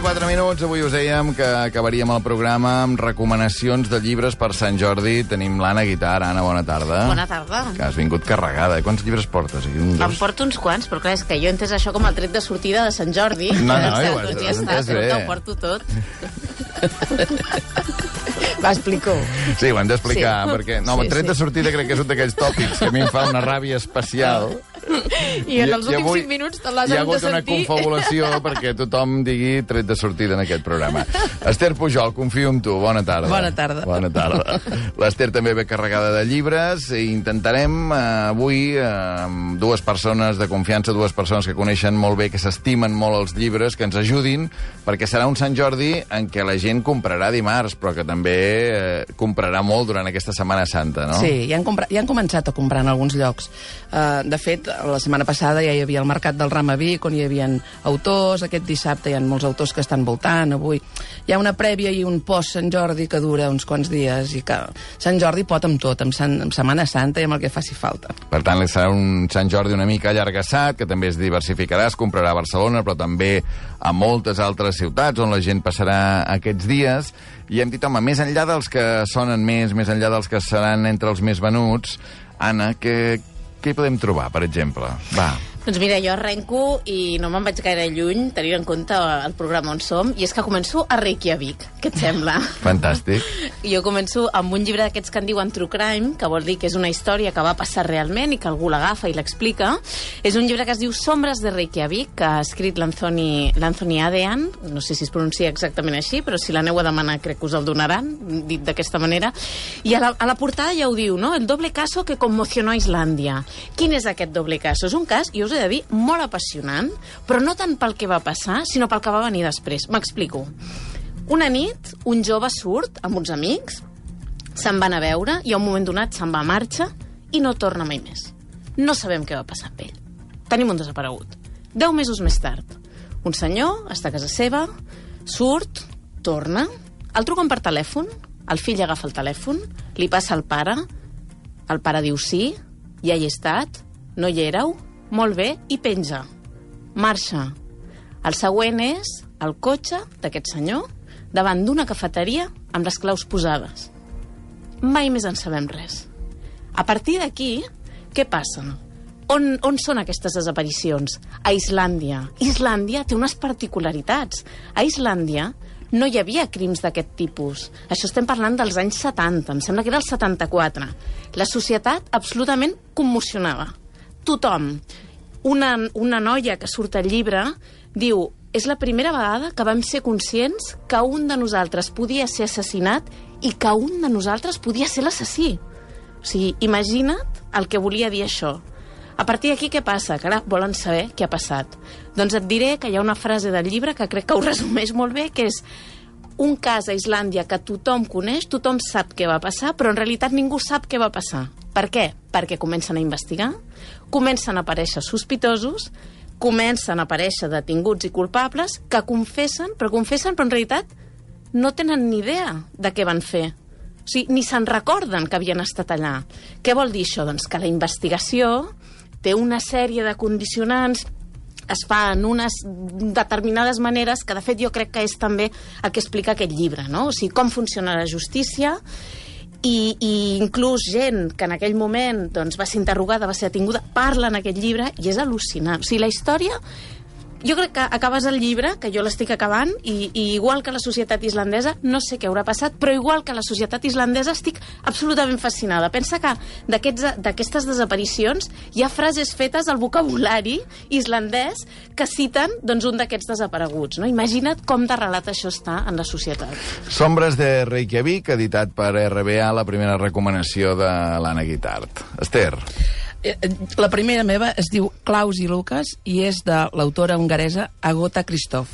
4 minuts. Avui us dèiem que acabaríem el programa amb recomanacions de llibres per Sant Jordi. Tenim l'Anna Guitar. Anna, bona tarda. Bona tarda. Que has vingut carregada. Quants llibres portes? Em porto uns quants, però clar, és que jo he entès això com el tret de sortida de Sant Jordi. No, ho has entès bé. Ho porto tot. Va, explico. Sí, ho hem d'explicar, perquè... No, el tret de sortida crec que és un d'aquells tòpics que a mi em fa una ràbia especial. I en els últims 5 minuts te l'has hagut de sentir. Hi ha hagut una confabulació perquè tothom digui tret de sortida en aquest programa. Esther Pujol, confio en tu. Bona tarda. Bona tarda. Bona tarda. L'Esther també ve carregada de llibres i intentarem avui amb dues persones de confiança, dues persones que coneixen molt bé, que s'estimen molt els llibres, que ens ajudin, perquè serà un Sant Jordi en què la gent comprarà dimarts, però que també comprarà molt durant aquesta Setmana Santa, no? Sí, ja han començat a comprar en alguns llocs. De fet, la setmana passada ja hi havia el Mercat del Ram a Vic, on hi havia autors. Aquest dissabte hi ha molts autors que estan voltant. Avui hi ha una prèvia i un post-Sant Jordi que dura uns quants dies i que Sant Jordi pot amb tot, amb Setmana Santa i amb el que faci falta. Per tant, serà un Sant Jordi una mica allargassat, que també es diversificarà, es comprarà a Barcelona, però també a moltes altres ciutats on la gent passarà aquests dies. I hem dit, home, més enllà dels que sonen més enllà dels que seran entre els més venuts, Anna, què hi podem trobar, per exemple? Va. Doncs mira, jo arrenco i no me'n vaig gaire lluny, tenint en compte el programa on som, i és que començo a Reykjavik. Què et sembla? Fantàstic. Jo començo amb un llibre d'aquests que en diuen True Crime, que vol dir que és una història que va passar realment i que algú l'agafa i l'explica. És un llibre que es diu Sombres de Reykjavik, que ha escrit l'Anthony Adean, no sé si es pronuncia exactament així, però si l'aneu a demanar crec que us el donaran, dit d'aquesta manera. I a la portada ja ho diu, no? El doble caso que conmocionó a Islàndia. Quin és aquest doble caso? És un cas, jo us he de dir, molt apassionant, però no tant pel que va passar, sinó pel que va venir després. M'explico. Una nit, un jove surt amb uns amics, se'n van a veure i a un moment donat se'n va a marxa i no torna mai més. No sabem què va passar amb ell. Tenim un desaparegut. 10 mesos més tard, un senyor està a casa seva, surt, torna, el truquen per telèfon, el fill agafa el telèfon, li passa al pare, el pare diu sí, ja hi he estat, no hi éreu, molt bé, i penja. Marxa. El següent és el cotxe d'aquest senyor davant d'una cafeteria amb les claus posades. Mai més en sabem res. A partir d'aquí, què passa? On són aquestes desaparicions? A Islàndia. Islàndia té unes particularitats. A Islàndia no hi havia crims d'aquest tipus. Això estem parlant dels anys 70, em sembla que era el 74. La societat absolutament commocionada. Tothom. Una noia que surt al llibre diu: és la primera vegada que vam ser conscients que un de nosaltres podia ser assassinat i que un de nosaltres podia ser l'assassí. O sigui, imagina't el que volia dir això. A partir d'aquí, què passa? Que ara volen saber què ha passat. Doncs et diré que hi ha una frase del llibre que crec que ho resumeix molt bé, que és: un cas a Islàndia que tothom coneix, tothom sap què va passar, però en realitat ningú sap què va passar. Per què? Perquè comencen a investigar, comencen a aparèixer sospitosos, comencen a aparèixer detinguts i culpables que confessen, però en realitat no tenen ni idea de què van fer. O sigui, ni se'n recorden que havien estat allà. Què vol dir això? Doncs que la investigació té una sèrie de condicionants, es fa en unes determinades maneres, que de fet jo crec que és també el que explica aquest llibre, no? O sigui, com funciona la justícia, i inclús gent que en aquell moment doncs, va ser interrogada, va ser detinguda, parla en aquest llibre i és al·lucinant. O sigui, la història... Jo crec que acabes el llibre, que jo l'estic acabant, i igual que la societat islandesa, no sé què haurà passat, però igual que la societat islandesa estic absolutament fascinada. Pensa que d'aquestes desaparicions hi ha frases fetes al vocabulari islandès que citen doncs, un d'aquests desapareguts. No? Imagina't com de relat això està en la societat. Sombres de Reykjavik, editat per RBA, la primera recomanació de l'Anna Guitart. Esther. La primera meva es diu Klaus i Lucas i és de l'autora hongaresa Agota Christoph.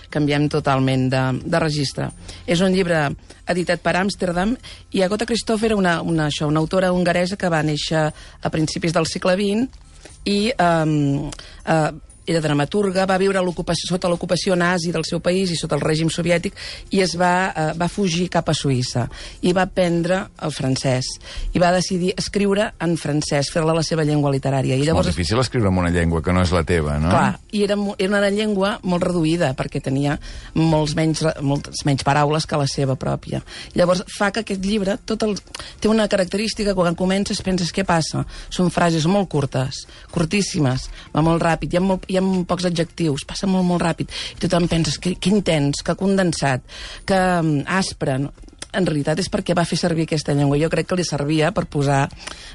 Canviem totalment de registre. És un llibre editat per Amsterdam i Agota Christoph era una autora hongaresa que va néixer a principis del segle XX i era dramaturga, va viure sota l'ocupació nazi del seu país i sota el règim soviètic i va fugir cap a Suïssa i va aprendre el francès i va decidir escriure en francès, fer-la la seva llengua literària. I llavors, és molt difícil escriure en una llengua que no és la teva, no? Clar, i era una llengua molt reduïda perquè tenia moltes menys paraules que la seva pròpia. Llavors fa que aquest llibre té una característica, quan comences penses què passa? Són frases molt curtes, curtíssimes, va molt ràpid, hi ha pocs adjectius, passa molt, molt ràpid, i tothom penses que intens, que condensat, que aspre. En realitat és perquè va fer servir aquesta llengua. Jo crec que li servia per posar,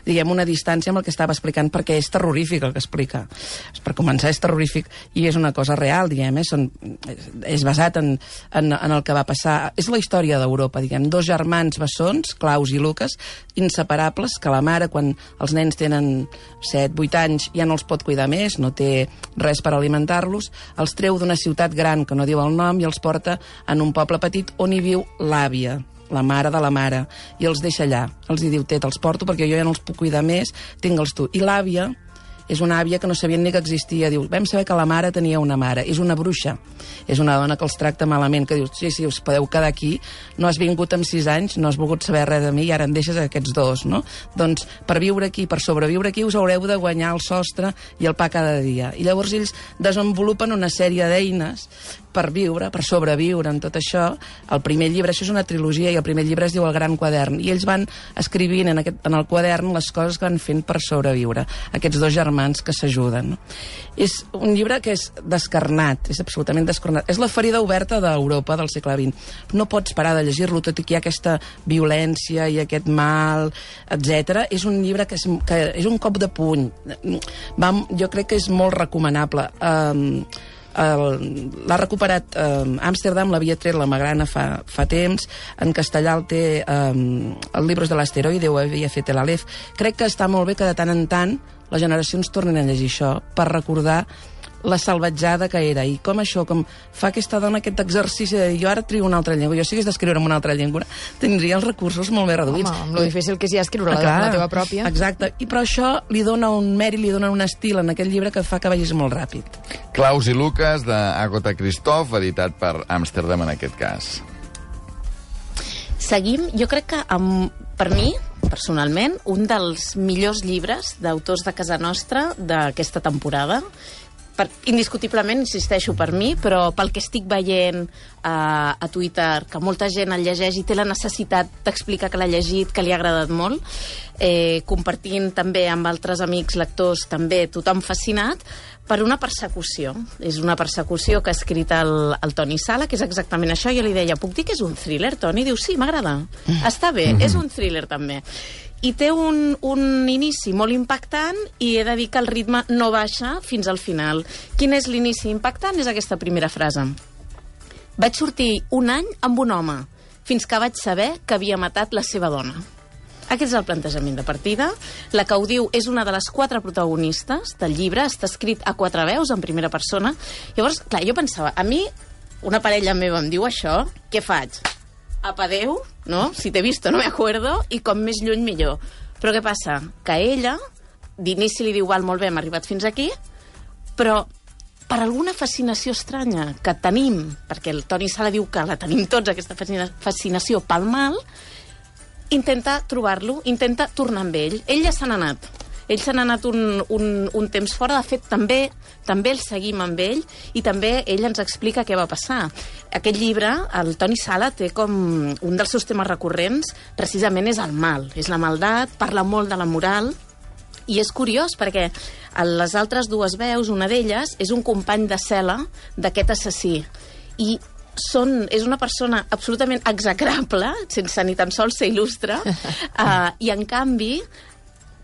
diguem, una distància amb el que estava explicant, perquè és terrorífic el que explica. Per començar, és terrorífic i és una cosa real, diguem, és basat en el que va passar. És la història d'Europa, diguem, dos germans bessons, Klaus i Lucas, inseparables, que la mare, quan els nens tenen 7-8 anys, ja no els pot cuidar més, no té res per alimentar-los, els treu d'una ciutat gran que no diu el nom i els porta en un poble petit on hi viu l'àvia, la mare de la mare, i els deixa allà. Els hi diu, te'ls porto perquè jo ja no els puc cuidar més, tingue'ls tu. I l'àvia és una àvia que no sabien ni que existia. Diu, vam saber que la mare tenia una mare. És una bruixa. És una dona que els tracta malament, que diu, sí, us podeu quedar aquí, no has vingut amb 6 anys, no has volgut saber res de mi i ara em deixes aquests dos, no? Doncs per viure aquí, per sobreviure aquí, us haureu de guanyar el sostre i el pa cada dia. I llavors ells desenvolupen una sèrie d'eines per viure, per sobreviure en tot això. El primer llibre, això és una trilogia, i el primer llibre es diu El Gran Quadern, i ells van escrivint en el quadern les coses que van fent per sobreviure, aquests dos germans que s'ajuden. No? És un llibre que és descarnat, és absolutament descarnat. És la ferida oberta d'Europa del segle XX. No pots parar de llegir-lo, tot i que hi ha aquesta violència i aquest mal, etc. És un llibre que és un cop de puny. Jo crec que és molt recomanable. L'ha recuperat Amsterdam, l'havia tret la Magrana fa temps, en castellà el té el Libros de l'Asteroide, ho havia fet l'Aleph. Crec que està molt bé que de tant en tant les generacions tornen a llegir això per recordar la salvatjada que era, i com això, com fa aquesta dona aquest exercici de dir, jo ara trio una altra llengua, jo si hagués d'escriure en una altra llengua tindria els recursos molt més reduïts. Home, amb lo difícil que és ja escriure la teva pròpia. Exacte, i però això li dona un mèrit, li dona un estil en aquest llibre que fa que vagis molt ràpid. Klaus i Lucas, d'Agatha Christoph, editat per Amsterdam en aquest cas. Seguim, jo crec que per mi, personalment, un dels millors llibres d'autors de casa nostra d'aquesta temporada. Indiscutiblement, insisteixo, per mi, però pel que estic veient a Twitter, que molta gent el llegeix i té la necessitat d'explicar que l'ha llegit, que li ha agradat molt, compartint també amb altres amics lectors, també tothom fascinat, per una persecució. És una persecució que ha escrit el Toni Sala, que és exactament això. Jo li deia, puc dir que és un thriller, Toni? Diu, sí, m'agrada. Està bé, és un thriller també. I té un inici molt impactant i he de dir que el ritme no baixa fins al final. Quin és l'inici impactant? És aquesta primera frase. Vaig sortir un any amb un home, fins que vaig saber que havia matat la seva dona. Aquest és el plantejament de partida. La que ho diu és una de les 4 protagonistes del llibre, està escrit a 4 veus, en primera persona. Llavors, clar, jo pensava, a mi, una parella meva em diu això, què faig? Apa, adéu, no? Si t'he visto no me acuerdo, i com més lluny millor. Però què passa? Que ella, d'inici li diu, val, molt bé, hem arribat fins aquí, però per alguna fascinació estranya que tenim, perquè el Toni Sala diu que la tenim tots, aquesta fascinació pel mal, intenta trobar-lo, intenta tornar amb ell. Ell ja se n'ha anat. Ell se n'ha anat un temps fora. De fet, també el seguim amb ell i també ell ens explica què va passar. Aquest llibre, el Toni Sala, té com un dels seus temes recurrents, precisament és el mal, és la maldat, parla molt de la moral, i és curiós perquè les altres 2 veus, una d'elles, és un company de cel·la d'aquest assassí. I és una persona absolutament execrable, sense ni tan sols ser il·lustre, i en canvi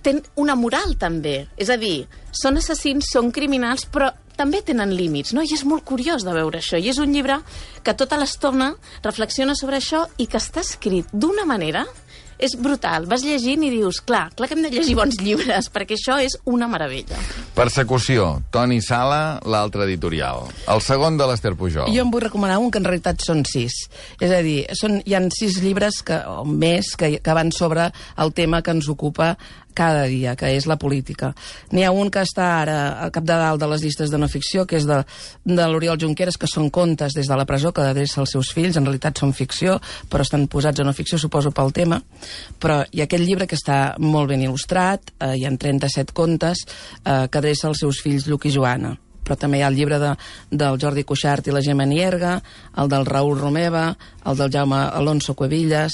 tenen una moral també. És a dir, són assassins, són criminals, però també tenen límits, no? I és molt curiós de veure això. I és un llibre que tota l'estona reflexiona sobre això i que està escrit d'una manera... És brutal. Vas llegint i dius, clar que hem de llegir bons llibres, perquè això és una meravella. Persecució, Toni Sala, l'altre editorial. El segon de l'Ester Pujol. Jo em vull recomanar un que en realitat són 6. És a dir, hi ha 6 llibres o més que van sobre el tema que ens ocupa cada dia, que és la política. N'hi ha un que està ara a cap de dalt de les llistes de no ficció, que és de l'Oriol Junqueras, que són contes des de la presó que adreça als seus fills, en realitat són ficció, però estan posats a no ficció, suposo, pel tema. Però hi ha aquest llibre que està molt ben il·lustrat, hi ha 37 contes que adreça als seus fills Lluc i Joana. Però també hi ha el llibre del Jordi Cuixart i la Gemma Nierga, el del Raül Romeva, el del Jaume Alonso Cuevillas,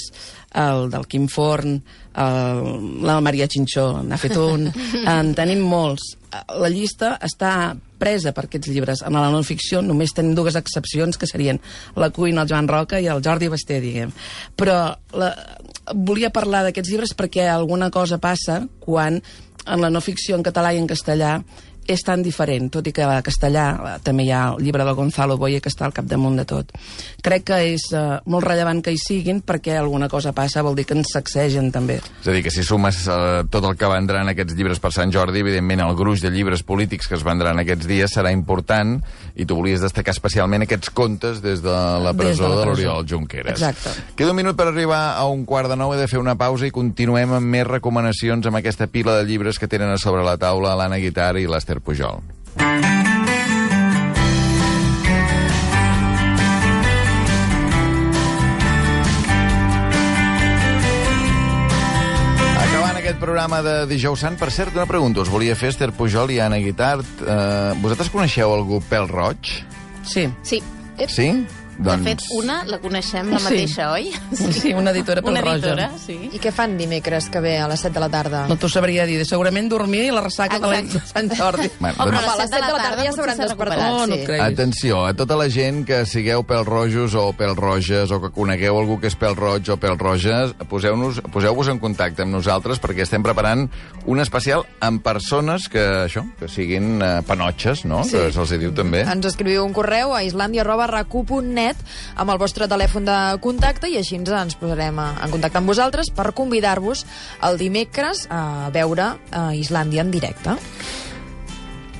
el del Quim Forn, la Maria Chinchó n'ha fet un. En tenim molts. La llista està presa per aquests llibres. En la no-ficció només tenim dues excepcions, que serien la cuina, el Joan Roca i el Jordi Basté, diguem. Però volia parlar d'aquests llibres perquè alguna cosa passa quan en la no-ficció en català i en castellà és tan diferent, tot i que a castellà també hi ha el llibre del Gonzalo Boye que està al capdamunt de tot. Crec que és molt rellevant que hi siguin perquè alguna cosa passa, vol dir que ens sacsegen també. És a dir, que si sumes tot el que vendran aquests llibres per Sant Jordi, evidentment el gruix de llibres polítics que es vendran aquests dies serà important, i tu volies destacar especialment aquests contes des de la presó de l'Oriol Junqueras. Exacte. Queda un minut per arribar a 8:45, he de fer una pausa i continuem amb més recomanacions amb aquesta pila de llibres que tenen a sobre la taula l'Anna Guitart i l'Esther Pujol. Acabant aquest programa de Dijous Sant, per cert, una pregunta us volia fer, Esther Pujol i Anna Guitart. Vosaltres coneixeu algú pèl roig? Sí. Sí. Sí? De fet, una la coneixem la mateixa, oi? Sí, una editora pel roja. Una editora, sí. I què fan dimecres que ve a les 7 de la tarda? No t'ho sabria dir. Segurament dormir i la ressaca de Sant Jordi. Però a les 7 de la tarda ja s'hauran despertat. No et creguis. Atenció, a tota la gent que sigueu pèl-rojos o pèl-roges o que conegueu algú que és pèl-roig o pèl-roges, poseu-vos en contacte amb nosaltres perquè estem preparant un especial amb persones que siguin panotxes, no? Sí. Que se'ls diu també. Ens escriviu un correu a islandia@racu.net amb el vostre telèfon de contacte i així ens posarem en contacte amb vosaltres per convidar-vos el dimecres a veure Islàndia en directe.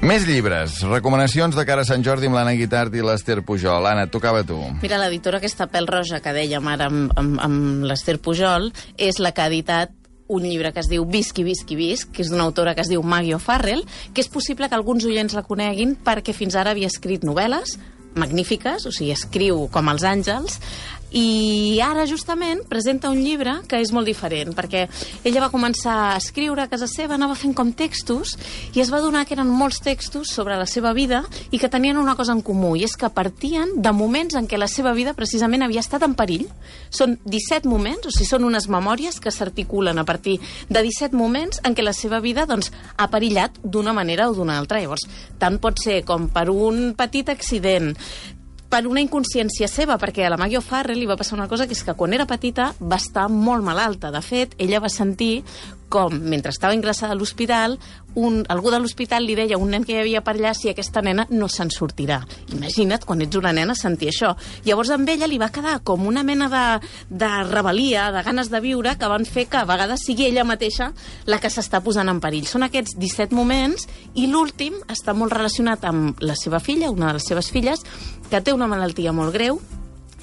Més llibres, recomanacions de cara a Sant Jordi amb l'Anna Guitart i l'Esther Pujol. Anna, et tocava a tu. Mira, l'editora aquesta pèl roja que dèiem ara amb l'Esther Pujol és la que ha editat un llibre que es diu Visqui, Visqui, Visc, que és d'una autora que es diu Maggie O'Farrell, que és possible que alguns oients la coneguin perquè fins ara havia escrit novel·les magnífiques, o sigui, escriu com els àngels, i ara justament presenta un llibre que és molt diferent, perquè ella va començar a escriure a casa seva, anava fent com textos, i es va adonar que eren molts textos sobre la seva vida i que tenien una cosa en comú, i és que partien de moments en què la seva vida precisament havia estat en perill. Són 17 moments, o sigui, són unes memòries que s'articulen a partir de 17 moments en què la seva vida doncs, ha perillat d'una manera o d'una altra. Llavors, tant pot ser com per un petit accident, per una inconsciència seva, perquè a la Maggie O'Farrell li va passar una cosa, que és que quan era petita va estar molt malalta. De fet, ella va sentir com, mentre estava ingressada a l'hospital, algú de l'hospital li deia a un nen que hi havia per allà si aquesta nena no se'n sortirà. Imagina't, quan ets una nena, sentir això. Llavors, amb ella li va quedar com una mena de rebel·lia, de ganes de viure, que van fer que a vegades sigui ella mateixa la que s'està posant en perill. Són aquests 17 moments, i l'últim està molt relacionat amb la seva filla, una de les seves filles, que té una malaltia molt greu,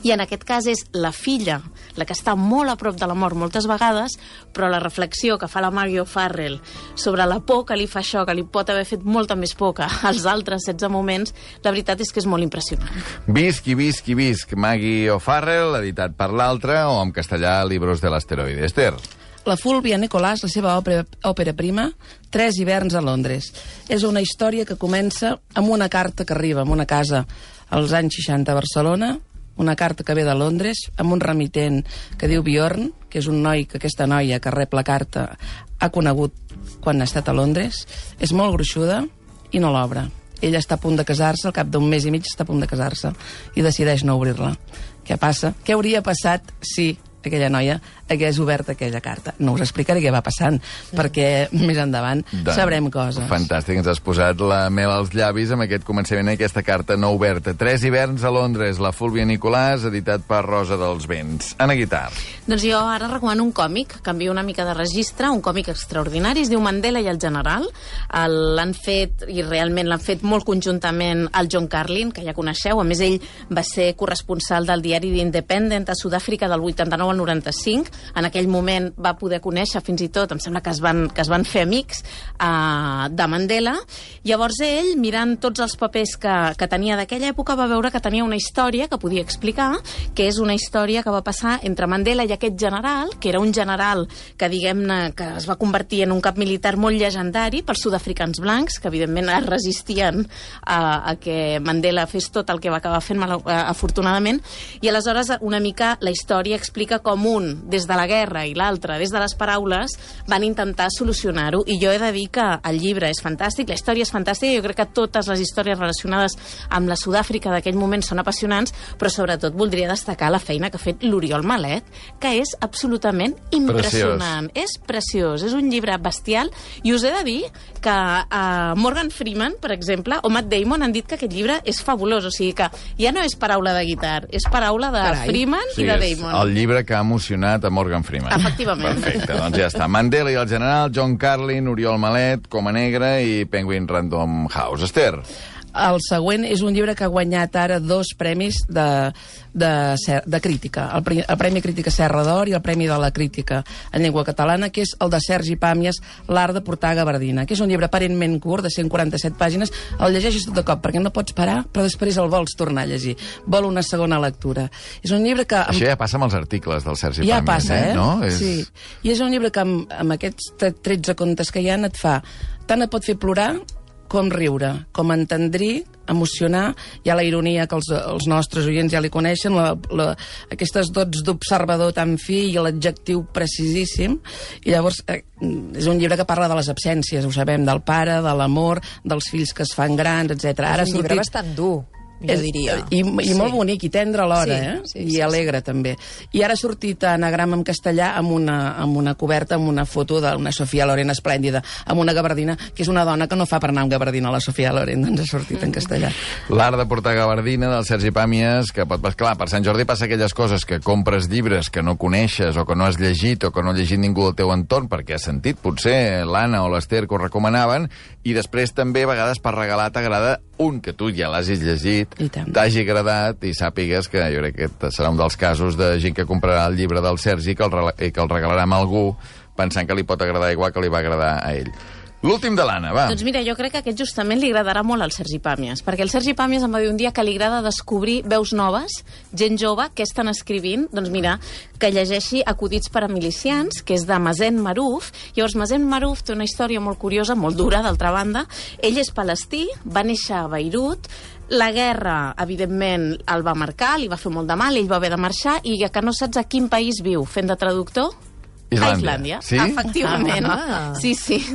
i en aquest cas és la filla la que està molt a prop de la mort moltes vegades, però la reflexió que fa la Maggie O'Farrell sobre la por que li fa això, que li pot haver fet molta més por que als altres 16 moments, la veritat és que és molt impressionant. Visqui, visqui, visc, Maggie O'Farrell, editat per l'altre, o en castellà, Libros de l'asteroide. Esther. La Fulvia Nicolàs, la seva òpera prima, 3 hiverns a Londres. És una història que comença amb una carta que arriba a una casa als anys 60 a Barcelona, una carta que ve de Londres, amb un remitent que diu Bjorn, que és un noi que aquesta noia que rep la carta ha conegut quan ha estat a Londres. És molt gruixuda i no l'obre. Ella està a punt de casar-se, al cap d'un mes i mig està a punt de casar-se, i decideix no obrir-la. Què passa? Què hauria passat si aquella noia hagués obert aquella carta? No us explicaré què va passant, perquè més endavant sabrem coses. Fantàstic, ens has posat la mel als llavis amb aquest començament d'aquesta carta no oberta. 3 hiverns a Londres, la Fulvia Nicolàs, editat per Rosa dels Vents. Anna Guitart. Doncs jo ara recomano un còmic, canvio una mica de registre, un còmic extraordinari, es diu Mandela i el general. L'han fet, i realment l'han fet molt conjuntament, el John Carlin, que ja coneixeu. A més, ell va ser corresponsal del diari The Independent a Sud-àfrica del 89 al 95. En aquell moment va poder conèixer, fins i tot, em sembla que es van fer amics de Mandela. Llavors ell, mirant tots els papers que tenia d'aquella època, va veure que tenia una història que podia explicar, que és una història que va passar entre Mandela i aquest general, que era un general que, diguem-ne, que es va convertir en un cap militar molt llegendari pels sud-africans blancs, que evidentment es resistien a que Mandela fes tot el que va acabar fent, afortunadament, i aleshores una mica la història explica com un, des de la guerra, i l'altre, des de les paraules, van intentar solucionar-ho, i jo he de dir que el llibre és fantàstic, la història és fantàstica, jo crec que totes les històries relacionades amb la Sud-àfrica d'aquell moment són apassionants, però sobretot voldria destacar la feina que ha fet l'Oriol Malet, que és absolutament impressionant. És preciós, és un llibre bestial, i us he de dir que Morgan Freeman, per exemple, o Matt Damon han dit que aquest llibre és fabulós, o sigui que ja no és paraula de Guitart, és paraula de Freeman i de Damon. El llibre que ha emocionat a Morgan Freeman. Efectivament. Perfecte, doncs ja està. Mandela i el general, John Carlin, Oriol Malet, Coma Negra i Penguin Random House. Esther. El següent és un llibre que ha guanyat ara 2 premis de crítica. El Premi Crítica Serra d'Or i el Premi de la Crítica en Llengua Catalana, que és el de Sergi Pàmies, L'art de portar gabardina, que és un llibre aparentment curt, de 147 pàgines. El llegeixes tot de cop, perquè no pots parar, però després el vols tornar a llegir. Vol una segona lectura. És un llibre que... Això ja passa amb els articles del Sergi Pàmies. Ja passa, No? Sí. I és un llibre que amb aquests 13 contes que hi ha et fa... Tant et pot fer plorar com riure, com entendrir, emocionar. Hi ha la ironia que els nostres oients ja li coneixen, aquestes dots d'observador tan fi i l'adjectiu precisíssim. I llavors és un llibre que parla de les absències, ho sabem, del pare, de l'amor, dels fills que es fan grans, etc. És un llibre bastant dur, jo diria. I molt bonic, i tendre alhora, i alegre, també. I ara ha sortit Anagram en castellà amb una coberta, amb una foto d'una Sofia Loren esplèndida, amb una gabardina, que és una dona que no fa per anar amb gabardina, la Sofia Loren, doncs ha sortit en castellà. L'art de portar gabardina, del Sergi Pàmies, que pot... Clar, per Sant Jordi passa aquelles coses que compres llibres que no coneixes o que no has llegit o que no ha llegit ningú del teu entorn perquè has sentit, potser, l'Anna o l'Ester que ho recomanaven, i després també, a vegades, per regalar t'agrada un que tu ja l'has llegit, t'hagi agradat i sàpigues que jo crec que serà un dels casos de gent que comprarà el llibre del Sergi que el regalarà a algú pensant que li pot agradar igual que li va agradar a ell. L'últim de l'Anna, va. Doncs mira, jo crec que aquest justament li agradarà molt al Sergi Pàmies, perquè el Sergi Pàmies em va dir un dia que li agrada descobrir veus noves, gent jove, que estan escrivint, doncs mira, que llegeixi Acudits per a milicians, que és de Mazen Marouf. Llavors, Mazen Marouf té una història molt curiosa, molt dura, d'altra banda. Ell és palestí, va néixer a Beirut, la guerra, evidentment, el va marcar, li va fer molt de mal, ell va haver de marxar, i ja que no saps a quin país viu fent de traductor... Islàndia. Sí? Efectivament. Sí,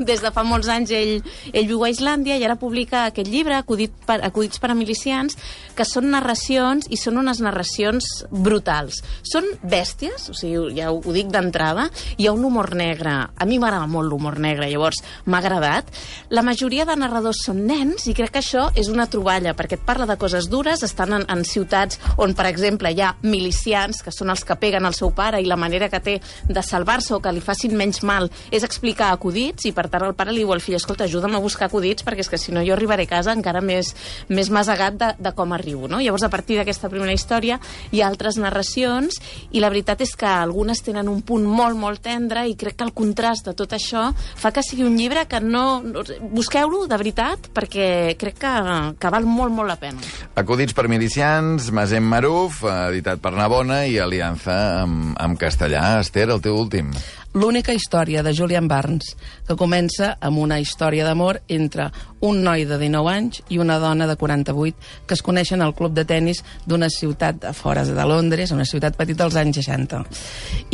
des de fa molts anys ell viu a Islàndia i ara publica aquest llibre, Acudits per a milicians, que són narracions i són unes narracions brutals. Són bèsties, o sigui, ja ho dic d'entrada, hi ha un humor negre. A mi m'agrada molt l'humor negre, llavors m'ha agradat. La majoria de narradors són nens i crec que això és una troballa, perquè et parla de coses dures, estan en ciutats on, per exemple, hi ha milicians, que són els que peguen al seu pare, i la manera que té de salvar-se o que li facin menys mal és explicar acudits, i per tant el pare li diu al fill, escolta, ajuda'm a buscar acudits perquè és que si no jo arribaré a casa encara més masegat de com arribo, no? Llavors a partir d'aquesta primera història hi ha altres narracions i la veritat és que algunes tenen un punt molt, molt tendre i crec que el contrast de tot això fa que sigui un llibre que no... Busqueu-lo, de veritat, perquè crec que val molt, molt la pena. Acudits per milicians, Mazen Marouf, editat per Navona i aliança amb castellà. Esther, el teu últim. L'única història de Julian Barnes, que comença amb una història d'amor entre un noi de 19 anys i una dona de 48 que es coneixen al club de tennis d'una ciutat a fora de Londres, una ciutat petita als anys 60.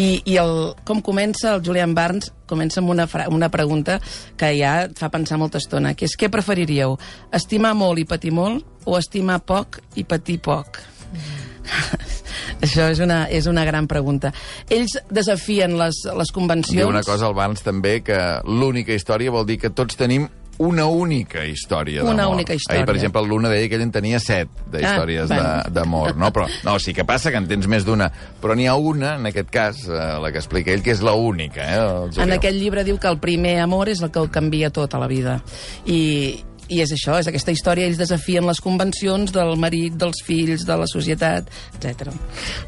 I com comença el Julian Barnes? Comença amb una pregunta que ja et fa pensar molta estona, que és: què preferiríeu? Estimar molt i patir molt o estimar poc i patir poc? Això és una gran pregunta. Ells desafien les convencions. Diu una cosa al Barnes també, que l'única història vol dir que tots tenim una única història d'amor. Una única història. Ahir, per exemple, l'Una deia que ell en tenia 7 d'històries d'amor, no? Però no, sí que passa que en tens més d'una, però n'hi ha una, en aquest cas, la que explica ell, que és la única. En aquest llibre diu que el primer amor és el que ho canvia tot a la vida. I I és això, és aquesta història, ells desafien les convencions del marit, dels fills, de la societat, etc.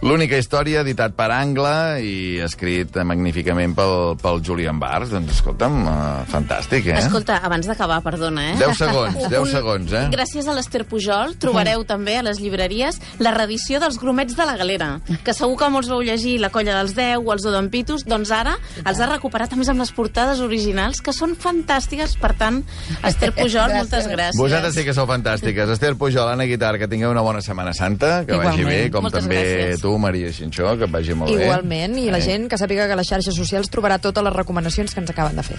L'única història, editat per Angle i escrit magníficament pel Julian Barr. Doncs escolta'm, fantàstic, eh? Escolta, abans d'acabar, perdona, 10 segons, eh? Gràcies a l'Ester Pujol trobareu també a les llibreries la reedició dels Gromets de la Galera, que segur que molts vau llegir La colla dels 10 o Els odonpitos, doncs ara els ha recuperat a més amb les portades originals, que són fantàstiques. Per tant, Ester Pujol, moltes gràcies. Vosaltres sí que sou fantàstiques. Ester Pujol, Anna Guitar, que tingueu una bona Setmana Santa, que vagi bé, com moltes també gràcies. tu, Maria Xinxó, que vagi molt bé. Igualment, i la gent que sàpiga que a les xarxes socials trobarà totes les recomanacions que ens acaben de fer.